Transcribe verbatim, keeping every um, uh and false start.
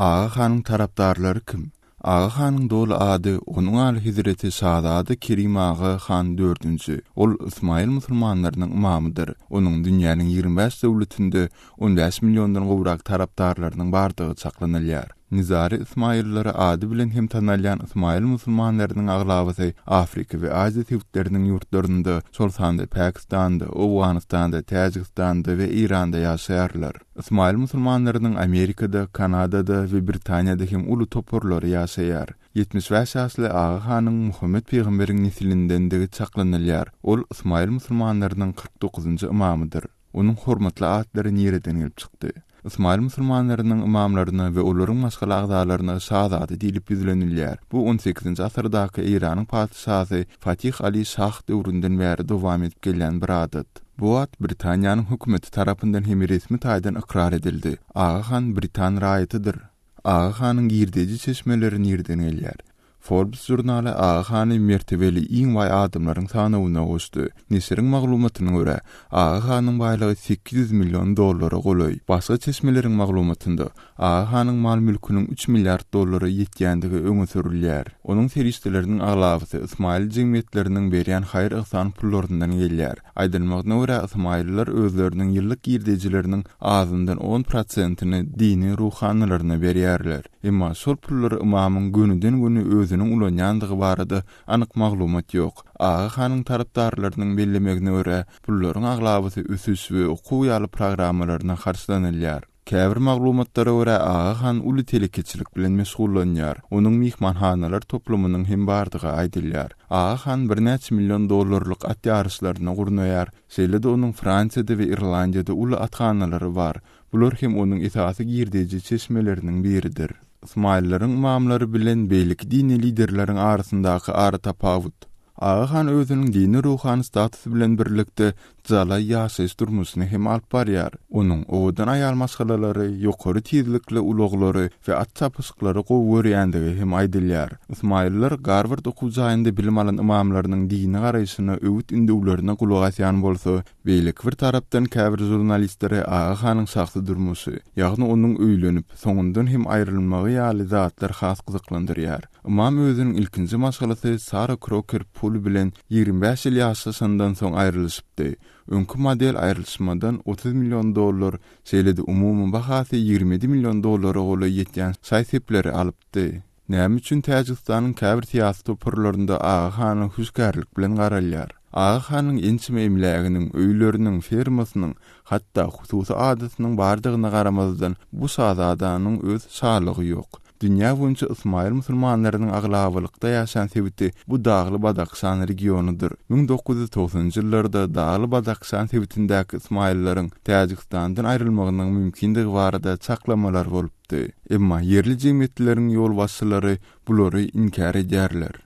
Aga hanyň tarapdarlary kim? Aga hanyň doly ady onuň alyhezreti şazada Kerim Aga han dördünji. Ol ysmaýyl musulmanlarynyň ymamydyr. Onuň dünýäniň ýigrimi bäş döwletinde on bäş milliondan gowrak tarapdarlarynyň bardygy çaklanylýar. Nizari ysmaýyllary ady bilen hem tanalýan ysmaýyl musulmanlarynyň aglabasy Afrika we Aziýa sebitleriniň ýurtlarynda, şol sanda Pakistanda, Owganystanda, Täjigistanda we Eýranda ýaşaýarlar. Ysmaýyl musulmanlarynyň Amerikada, Kanadada we Britaniýada hem uly toparlary ýaşaýar. Ýetmiş bäş ýaşly Aga hanyň Muhammet pygamberiň neslindendigi çaklanylýar. Ol ysmaýyl musulmanlarynyň kyrk dokuzynjy ymamydyr. Onuň hormatly atlary nireden gelip çykdy? Ysmaýyl musulmanlarynyň ymamlaryna we olaryň maşgala agzalaryna şazada diýlip ýüzlenilýär. Bu on sekizinji asyrdaky Eýranyň patyşasy Fatih Ali Şah döwründen bäri dowam edip gelýän bir adat. Bu at Britaniýanyň hökümeti tarapyndan hem resmi taýdan ykrar edildi. Aga han britan raýatydyr. Aga hanyň girdeji çeşmeleri nireden gelýär? Forbes žurnaly Aga hany mertebeli iň baý adamlaryň sanawyna goşdy. Neşiriň maglumatyna görä, Aga hanyň baýlygy sekiz ýüz million dollara golaý. Başga çeşmeleriň maglumatynda Aga hanyň mal-mülküniň üç milliard dollara ýetýändigi öňe sürülýär. Onuň serişdeleriniň aglabasy ysmaýyl jemgyýetleriniň berýän haýyr-yhsan pullaryndan gelýär. Aýdylmagyna görä, ysmaýyllar özleriniň ýyllyk girdejileriniň azyndan on prosentini dini ruhanylaryna berýärler. Emma şol pullary ymamyň gönüden-göni özüniň ulanýandygy barada anyk maglumat ýok. Aga hanyň tarapdarlarynyň bellemegine görä, pullaryň aglabasy ösüş we okuw ýaly programmalaryna harçlanylýar. Käbir maglumatlara görä, Aga han uly telekeçilik bilen meşgullanýar. Onuň myhmanhanalar toplumynyň hem bardygy aýdylýar. Aga han birnäçe million dollarlyk at ýaryşlaryny gurnaýar. Şeýle-de onuň Fransiýada we Irlandiýada uly athanalary bar. Bular hem onuň esasy girdeji çeşmeleriniň biridir. Ysmaýyllaryň ymamlary bilen beýleki dini liderleriň arasyndaky aratapawut. Aga han özüniň dini ruhany statusy bilen birlikde jalaý ýaşaýyş durmuşyny hem alyp barýar. Onuň owadan aýal maşgalalary, ýokary tizlikli ulaglary we at çapyşyklary gowy görýändigi hem aýdylýar. Ysmaýyllar Garward okuw jaýynda bilim alan ymamlarynyň dini garaýşyna öwüt ündewlerine gulak asýan bolsa, beýleki bir tarapdan käbir žurnalistleri Aga hanyň şahsy durmuşy, ýagny onuň öýlenip, soňundan hem aýrylmagy ýaly zatlar has gyzyklandyrýar. Ymam özüniň ilkinji maşgalasy Sara Kroker Pul bilen ýigrimi bäş ýyl ýaşaşandan soň aýrylyşypdy. Öňki model aýrylyşmadan otuz million dollar, şeýle-de umumy bahasy ýigrimi ýedi million dollara golaý ýetýän şaý-sepleri alypdy. Näme üçin Täjigistanyň käbir syýasy toparlarynda Aga hana hüşgärlik bilen garalýar? Aga hanyň ençeme emläginiň, öýleriniň, fermasynyň, hatda hususy adasynyň bardygyna garamazdan bu şazadanyň öz şalygy ýok. Dünýä boýunça ysmaýyl musulmanlarynyň aglabalykda ýaşan sebiti bu Dagly Badakşan regionydyr. Müň dokuz ýüz togsanynjy ýyllarda Dagly Badakşan sebitindäki ysmaýyllaryň Täjigistandan aýrylmagynyň mümkindigi barada çaklamalar bolupdy. Emma ýerli jemgyýetleriň ýolbaşçylary bulary inkär edýärler.